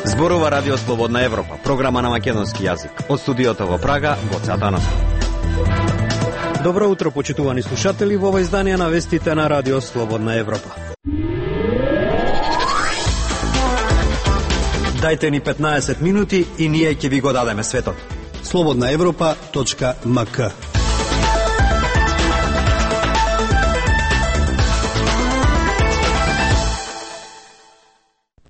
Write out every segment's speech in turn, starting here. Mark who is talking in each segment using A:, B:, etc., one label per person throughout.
A: Зборува Радио Слободна Европа, програма на македонски јазик. Од студиото во Прага, Гоце Атанасов.
B: Добро утро, почитувани слушатели, во ова издание на вестите на Радио Слободна Европа. Дајте ни 15 минути и ние ќе ви го дадеме светот.
C: slobodnaevropa.mk.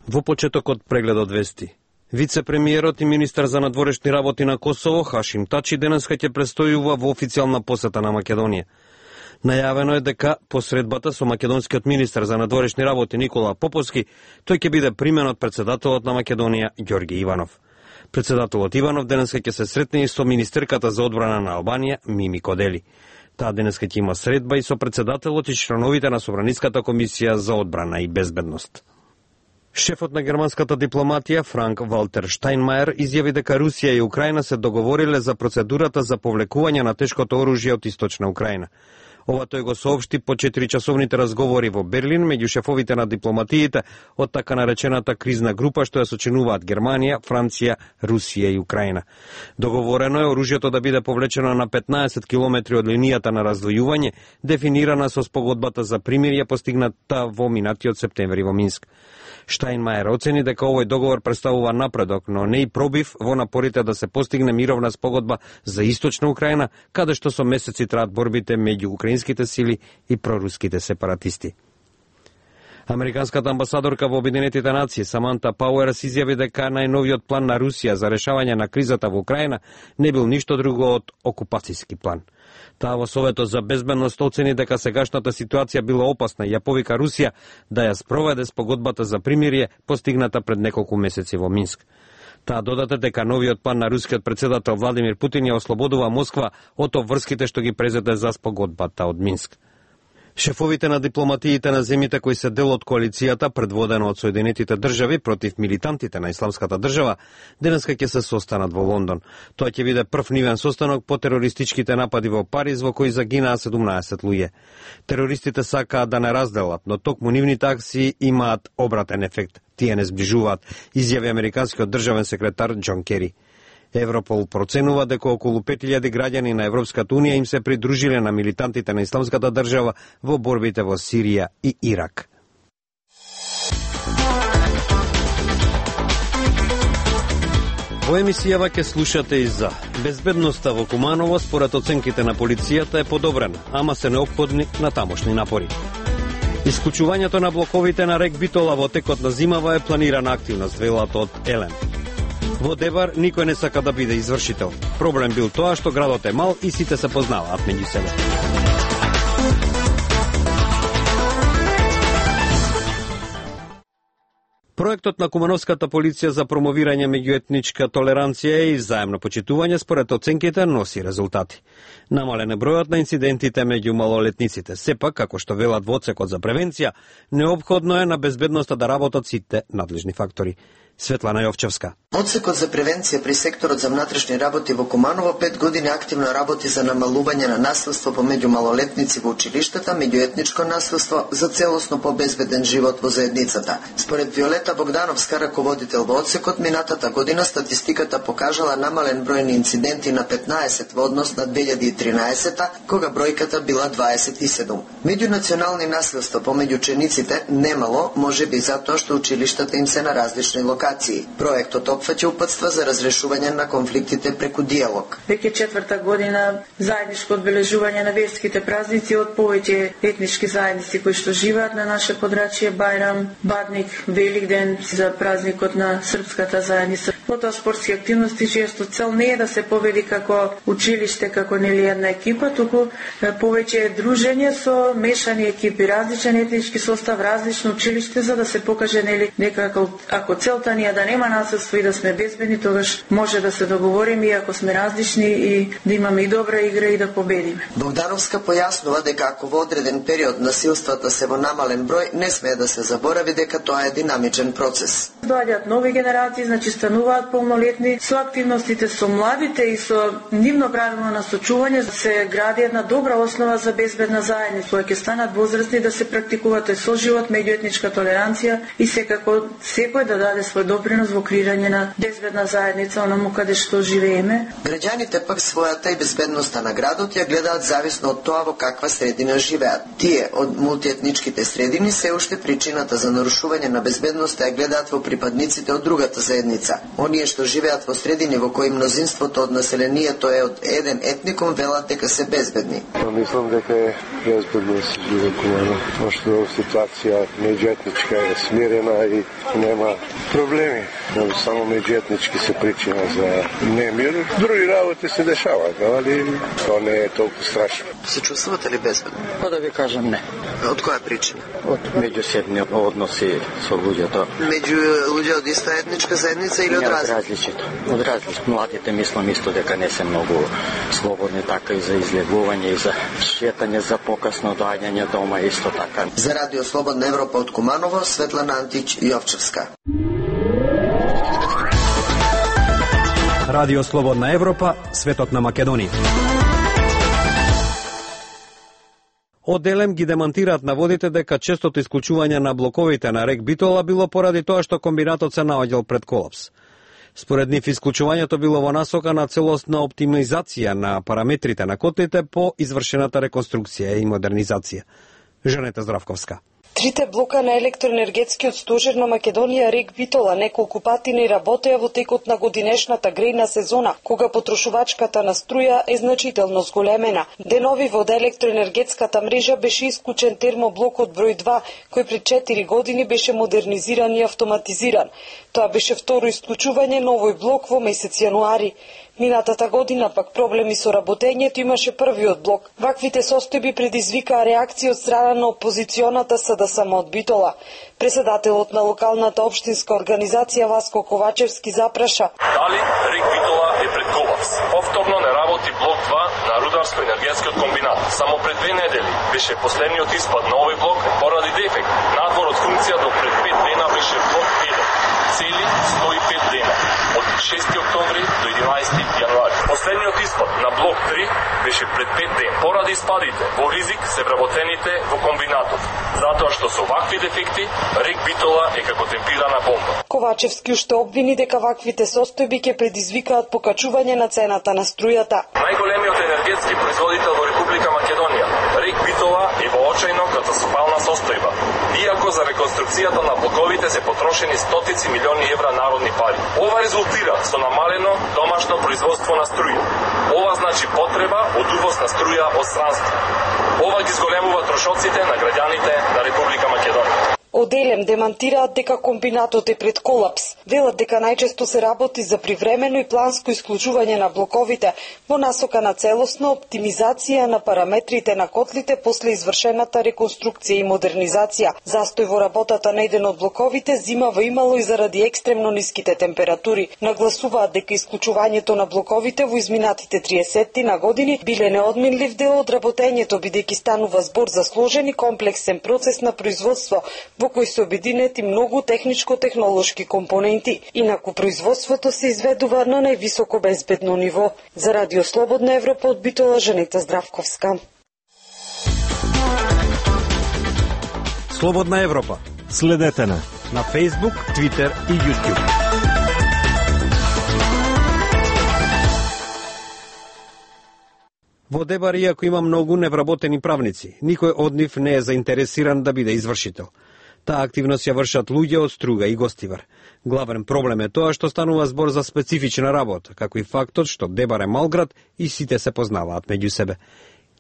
B: Во почетокот прегледот вести. Вице-премиерот и министар за надворешни работи на Косово, Хашим Тачи, денеска ќе престојува во официјална посета на Македонија. Најавено е дека посредбата со македонскиот министар за надворешни работи Никола Поповски, тој ќе биде примен од председателот на Македонија Ѓорги Иванов. Председателот Иванов денеска ќе се сретне и со министерката за одбрана на Албанија Мими Кодели. Таа денеска ќе има средба и со председателот и членовите на Собраниската комисија за одбрана и безбедност. Шефот на германската дипломатија Франк Валтер Штајнмајер изјави дека Русија и Украина се договориле за процедурата за повлекување на тешкото оружје од источна Украина. Ова тој го соопшти по 4-часовните разговори во Берлин меѓу шефовите на дипломатиите од така наречената кризна група што ја сочинуваат Германија, Франција, Русија и Украина. Договорено е оружјето да биде повлечено на 15 километри од линијата на раздвојување, дефинирана со спогодбата за примирие постигната во минатиот септември во Минск. Штајнмајер оцени дека овој договор представува напредок, но не и пробив во напорите да се постигне мировна спогодба за источна Украина, каде што со месеци траат борбите меѓу украинските сили и проруските сепаратисти. Американската амбасадорка во Обединетите нации Саманта Пауерс изјави дека најновиот план на Русија за решавање на кризата во Украина не бил ништо друго од окупацијски план. Таа во Советот за безбедност оцени дека сегашната ситуација била опасна и ја повика Русија да ја спроведе спогодбата за примирие постигната пред неколку месеци во Минск. Таа додаде дека новиот план на рускиот председател Владимир Путин ја ослободува Москва од обврските што ги презеде за спогодбата од Минск. Шефовите на дипломатиите на земјите кои се дел од коалицијата, предводена од Соединетите држави против милитантите на Исламската држава, денеска ќе се состанат во Лондон. Тоа ќе биде прв нивен состанок по терористичките напади во Париз во кои загинаа 17 луѓе. Терористите сакаат да не разделат, но токму нивните акции имаат обратен ефект. Тие не зближуваат, изјави американскиот државен секретар Џон Кери. Европол проценува дека околу 5000 граѓани на Европската унија им се придружиле на милитантите на Исламската држава во борбите во Сирија и Ирак. Во емисијава ќе слушате и за безбедноста во Куманово според оценките на полицијата е подобрена, ама се неопходни на тамошни напори. Исклучувањето на блоковите на рек Битола во текот на зимава е планирана активност, велат од Елен. Во Дебар никој не сака да биде извршител. Проблем бил тоа што градот е мал и сите се познаваат меѓу себе. Проектот на Кумановската полиција за промовирање меѓуетничка толеранција и заемно почитување според оценките носи резултати. Намален е бројот на инцидентите меѓу малолетниците. Сепак, како што велат во одсекот за превенција, неопходно е на безбедноста да работат сите надлежни фактори. Светлана Јовчевска.
D: Одсекот за превенција при секторот за внатрешни работи во Куманово 5 години активно работи за намалување на насилство помеѓу малолетници во училиштата, меѓуетничко насилство за целосно побезбеден живот во заедницата. Според Виолета Богдановска, раководител во одсекот, минатата година статистиката покажала намален број на инциденти на 15 во однос на 2013, кога бројката била 27. Меѓунационални насилства помеѓу учениците немало, можеби затоа што училиштата им се на различни локации. Проектот опфаќа упатства за разрешување на конфликтите преку диалог.
E: Веќе 4-та година заедничко одбележување на верските празници од повеќе етнички заедници кои што живеат на наше подрачје, Бајрам, Бадник, Великден, за празникот на српската заедница. Потоа спортски активности често цел не е да се победи како училиште, како нели една екипа, туку повеќе дружење со мешани екипи, различен етнички состав, различно училиште, за да се покаже нели дека ако целта ни е да нема насилство и да сме безбедни, тогаш може да се договориме иако сме различни и да имаме и добра игра и да победиме.
D: Богдановска појаснува дека ако во одреден период насилствата се во намален број, не смее да се заборави дека тоа е динамичен процес.
E: доаѓаат нови генерации, значи стануваат полнолетни, со активностите со младите и со нивно правилно насочување се гради една добра основа за безбедна заедница, која ќе станат возрастни да се практикуваат соживот, меѓуетничка толеранција и секако секој да даде свој допринос во креирање на безбедна заедница онаму каде што живееме.
D: Граѓаните пак својата и безбедноста на градот ја гледаат зависно од тоа во каква средина живеат. Тие од мултиетничките средини се уште причината за нарушување на безбедноста ја гледаат во припадниците од другата заедница. Оние што живеат во средини во кои мнозинството од населението е од еден етникум велат дека се безбедни.
C: Мислам дека е безбедно да се живее Куманово, пошто ситуација меѓуетничка е смирена и нема проблеми. Само меѓуетнички се причина за немир. Други работи се дешаваат, али тоа не е толку страшно.
D: Се чувствувате ли безбедно?
F: Па да ви кажам не.
D: Од која причина?
F: Од меѓусебни односи со луѓето.
D: Меѓу луѓе од иста етничка заедница или од
F: различито? Од различито. Младите мислам исто дека не се многу слободни, така и за излегување и за шетање за покасно доаѓање дома исто така.
D: За Радио Слободна Европа од Куманово, Светлана Антич Јовчевска.
A: Радио Слободна Европа, светот на Македонија.
B: Оделем ги демантираат наводите дека честото исклучување на блоковите на рек Битола било поради тоа што комбинатот се наоѓал пред колапс. Според нив исклучувањето било во насока на целосна оптимизација на параметрите на котлите по извршената реконструкција и модернизација. Жанета Здравковска.
G: Трите блока на електроенергетскиот стожер на Македонија рек Битола неколку пати не работеа во текот на годинешната грејна сезона, кога потрошувачката на струја е значително зголемена. Денови во електроенергетската мрежа беше исклучен термоблокот број 2, кој пред 4 години беше модернизиран и автоматизиран. Тоа беше второ исклучување на овој блок во месец јануари. Минатата година пак проблеми со работењето имаше првиот блок. Ваквите состојби предизвикаа реакција од страна на опозиционата СДСМ од Битола. Председателот на локалната општинска организација Васко Ковачевски запраша:
H: дали рек Битола е пред колапс? Повторно не работи блок 2 на рударско-енергетскиот комбинат. Само пред 2 недели беше последниот испад на овој блок поради дефект. Надвор од функција до пред 5 дена беше блок 1. Цели 105 дена, од 6 октомври до 11 јануари. Последниот испад на блок 3 беше пред 5 дена. Поради испадите, во ризик се вработените во комбинатот, затоа што со вакви дефекти рек Битола е како темпирана бомба.
G: Ковачевски уште обвини дека ваквите состојби ќе предизвикаат покачување на цената на струјата.
H: Најголемиот енергетски производител во Република Македонија, рек Битола е во очајно катастрофална состојба. Иако за реконструкцијата на блоковите се потрошени стотици милиони евра народни пари. Ова резултира со намалено домашно производство на струја. Ова значи потреба од увоз на струја од странство. Ова ги зголемува трошоците на граѓаните на Република Македонија.
G: Оделем демантираат дека комбинатот е пред колапс. Велат дека најчесто се работи за привремено и планско исклучување на блоковите во насока на целосна оптимизација на параметрите на котлите после извршената реконструкција и модернизација. Застој во работата на еден од блоковите зимава имало и заради екстремно ниските температури. Нагласуваат дека исклучувањето на блоковите во изминатите 30 на години биле неодменлив дел од работењето, бидејќи станува збор за сложен и комплексен процес на производство во кој се обединети многу техничко-технолошки компоненти. Инаку производството се изведува на највисоко безбедно ниво. За Радио Слободна Европа од Битола, Жанета Здравковска.
A: Слободна Европа.
I: Следете на
A: Facebook, Twitter и YouTube.
B: Во Дебар, иако има многу невработени правници, никој од нив не е заинтересиран да биде извршител. Таа активност ја вршат луѓе од Струга и Гостивар. Главен проблем е тоа што станува збор за специфична работа, како и фактот што Дебар е мал град и сите се познаваат меѓу себе.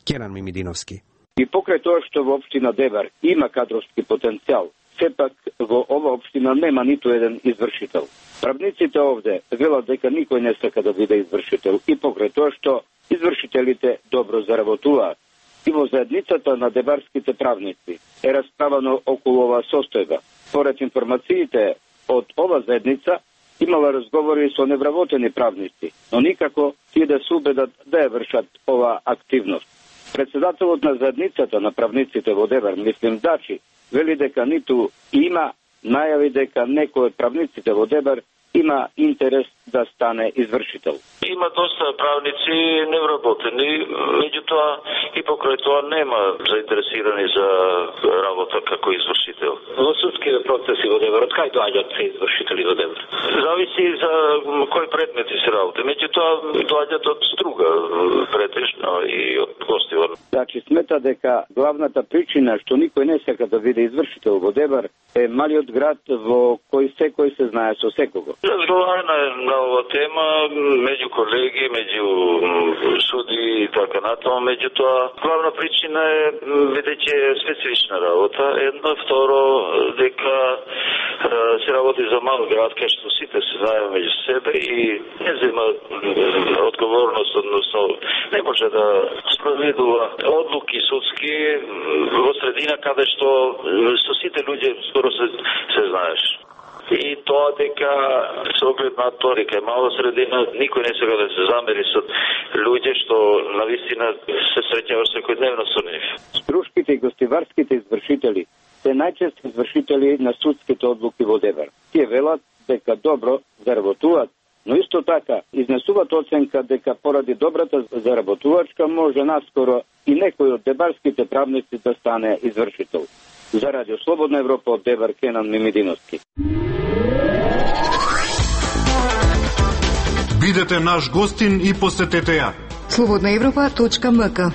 B: Керан Мимидиновски.
J: И покрај тоа што во општина Дебар има кадровски потенцијал, сепак во ова општина нема ниту еден извршител. Правниците овде велат дека никој не сака да биде извршител и покрај тоа што извршителите добро заработуваат. И во заедницата на дебарските правници е расправано околу оваа состојба. Поред информациите од ова заедница имала разговори со невработени правници, но никако тие да се убедат да ја вршат оваа активност. Председателот на заедницата на правниците во Дебар, мислим Дачи, вели дека ниту има, најави дека некој од правниците во ДЕБАР има интерес да стане извршител.
I: Има доста правници невработени, меѓутоа и покрај тоа нема заинтересирани за работа како извршител.
K: Во судските процеси во ДЕБАР, од кај доаѓаат се извршители во ДЕБАР?
I: Зависи за кои предмети се работи. Меѓутоа доаѓаат од струга претежно и од гостивор.
J: Значи смета дека главната причина што никој не сака да биде извршител во ДЕБАР е малиот град во кој секој се знае со секого.
I: Разговарана на ова тема меѓу колеги, меѓу суди и така натаму, меѓутоа главна причина е бидејќи е специфична работа. Едно, второ, дека се работи за мал град, кај што сите се знаеме меѓу себе и не зема одговорност, односно не може да спроведува одлуки судски во средина каде што со сите луѓе скоро се знаеш. И тоа дека со оглед на тоа дека е мала средина, никој не сега да се замери со луѓе што навистина се среќаваш секојдневно со нив.
J: Струшките и гостиварските извршители се најчесто извршители на судските одлуки во ДЕБАР. Тие велат дека добро заработуваат, но исто така изнесуваат оценка дека поради добрата заработувачка може наскоро и некој од дебарските правници да стане извршител. За Радио Слободна Европа од ДЕБАР Кенан Мимидиновски.
L: Бидете наш гостин и посетете ја.
M: slobodnaevropa.mk.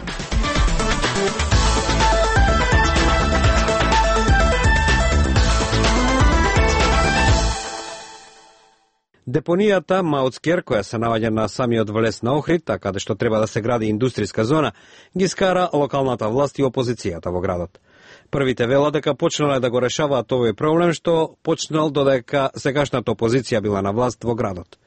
B: Депонијата Маутскер, која се наоѓа на самиот влез на Охрид, каде што треба да се гради индустријска зона, ги скара локалната власт и опозицијата во градот. Првите велат дека почнале да го решаваат овој проблем, што почнал додека сегашната опозиција била на власт во градот.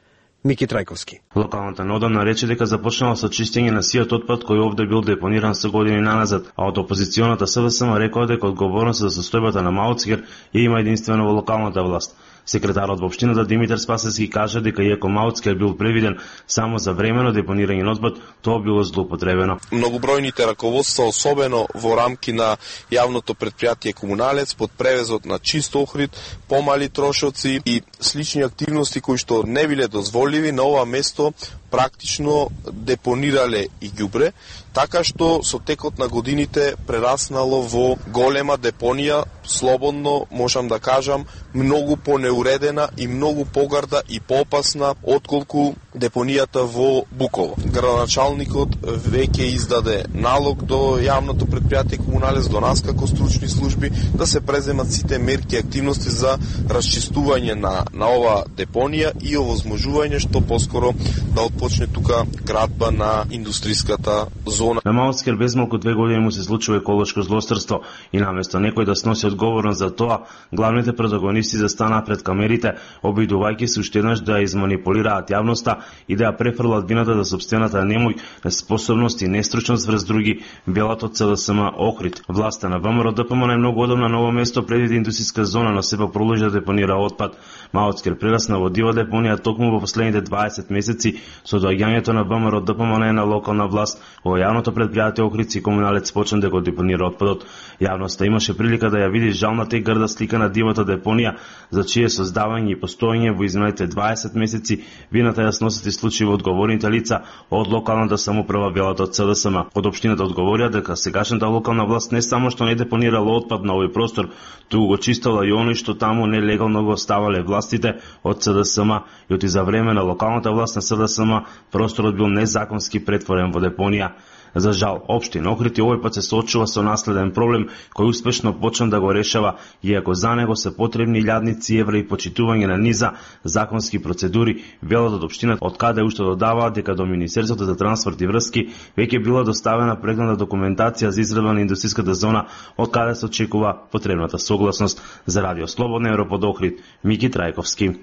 B: Мики Трајковски.
N: Локалната неодамна рече дека започнала со чистење на сиот отпад кој овде бил депониран со години наназад, а од опозиционата СВСМ рекоа дека одговорност за состојбата на Маутскер ја има единствено во локалната власт. Секретарот во општината Димитар Спасевски кажа дека иако Маутскер бил превиден само за времено депонирање на отпад, тоа било злоупотребено.
O: Многобројните раководства, особено во рамки на јавното предпријатие Комуналец, под превезот на чист Охрид, помали трошоци и слични активности кои што не биле дозволиви, на ова место практично депонирале и ѓубре, така што со текот на годините прераснало во голема депонија, слободно можам да кажам, многу понеуредена и многу погарда и поопасна отколку депонијата во Буково. Градоначалникот веќе издаде налог до јавното предпријатие Комуналец, до нас како стручни служби, да се преземат сите мерки и активности за расчистување на ова депонија и овозможување што поскоро да почне тука градба на индустријската зона.
N: На Маутскер без малку 2 години му се случува еколошко злосторство и наместо некој да сноси одговорност за тоа, главните протагонисти застанаа пред камерите, обидувајќи се уште еднаш да изманипулираат јавноста и да ја префрлат вината за сопствената немој, неспособност и нестручност врз други, белат од СДСМ Охрид. Власта на ВМРО ДПМН е многу одамна на ово место предвиди индустријска зона, но сепак продолжи да депонира отпад. Маутскер прерасна во дива депонија токму во последните 20 месеци со доаѓањето на ВМРО ДПМН на локална власт. Во јавното предпријатие Охрид и Комуналец почна да го депонира отпадот. Јавноста имаше прилика да ја види жалната и грда слика на дивата депонија, за чие создавање и постоење во изминалите 20 месеци вината ја сносат и случаи одговорните лица од локалната самоуправа велат од СДСМ. Од општината одговорија дека сегашната локална власт не само што не депонирала отпад на овој простор, туку го чистала и оној што таму нелегално го оставале властите од СДСМ и оти за време на локалната власт на СДСМ просторот бил незаконски претворен во депонија. За жал, општина Охрид и овој пат се соочува со наследен проблем кој успешно почна да го решава, иако за него се потребни илјадници евра и почитување на низа законски процедури, велат од општината, од каде уште додаваат дека до Министерството за транспорт и врски веќе била доставена прегледна документација за изработка на индустријската зона, од каде се очекува потребната согласност. За Радио Слободна Европа од Охрид, Мики Трајковски.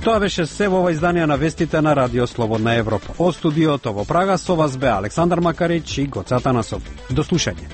B: Тоа беше се во ова издание на вестите на Радио Слободна Европа. Од студиото во Прага со вас бе Александар Макарич и Гоце Атанасов. До слушање.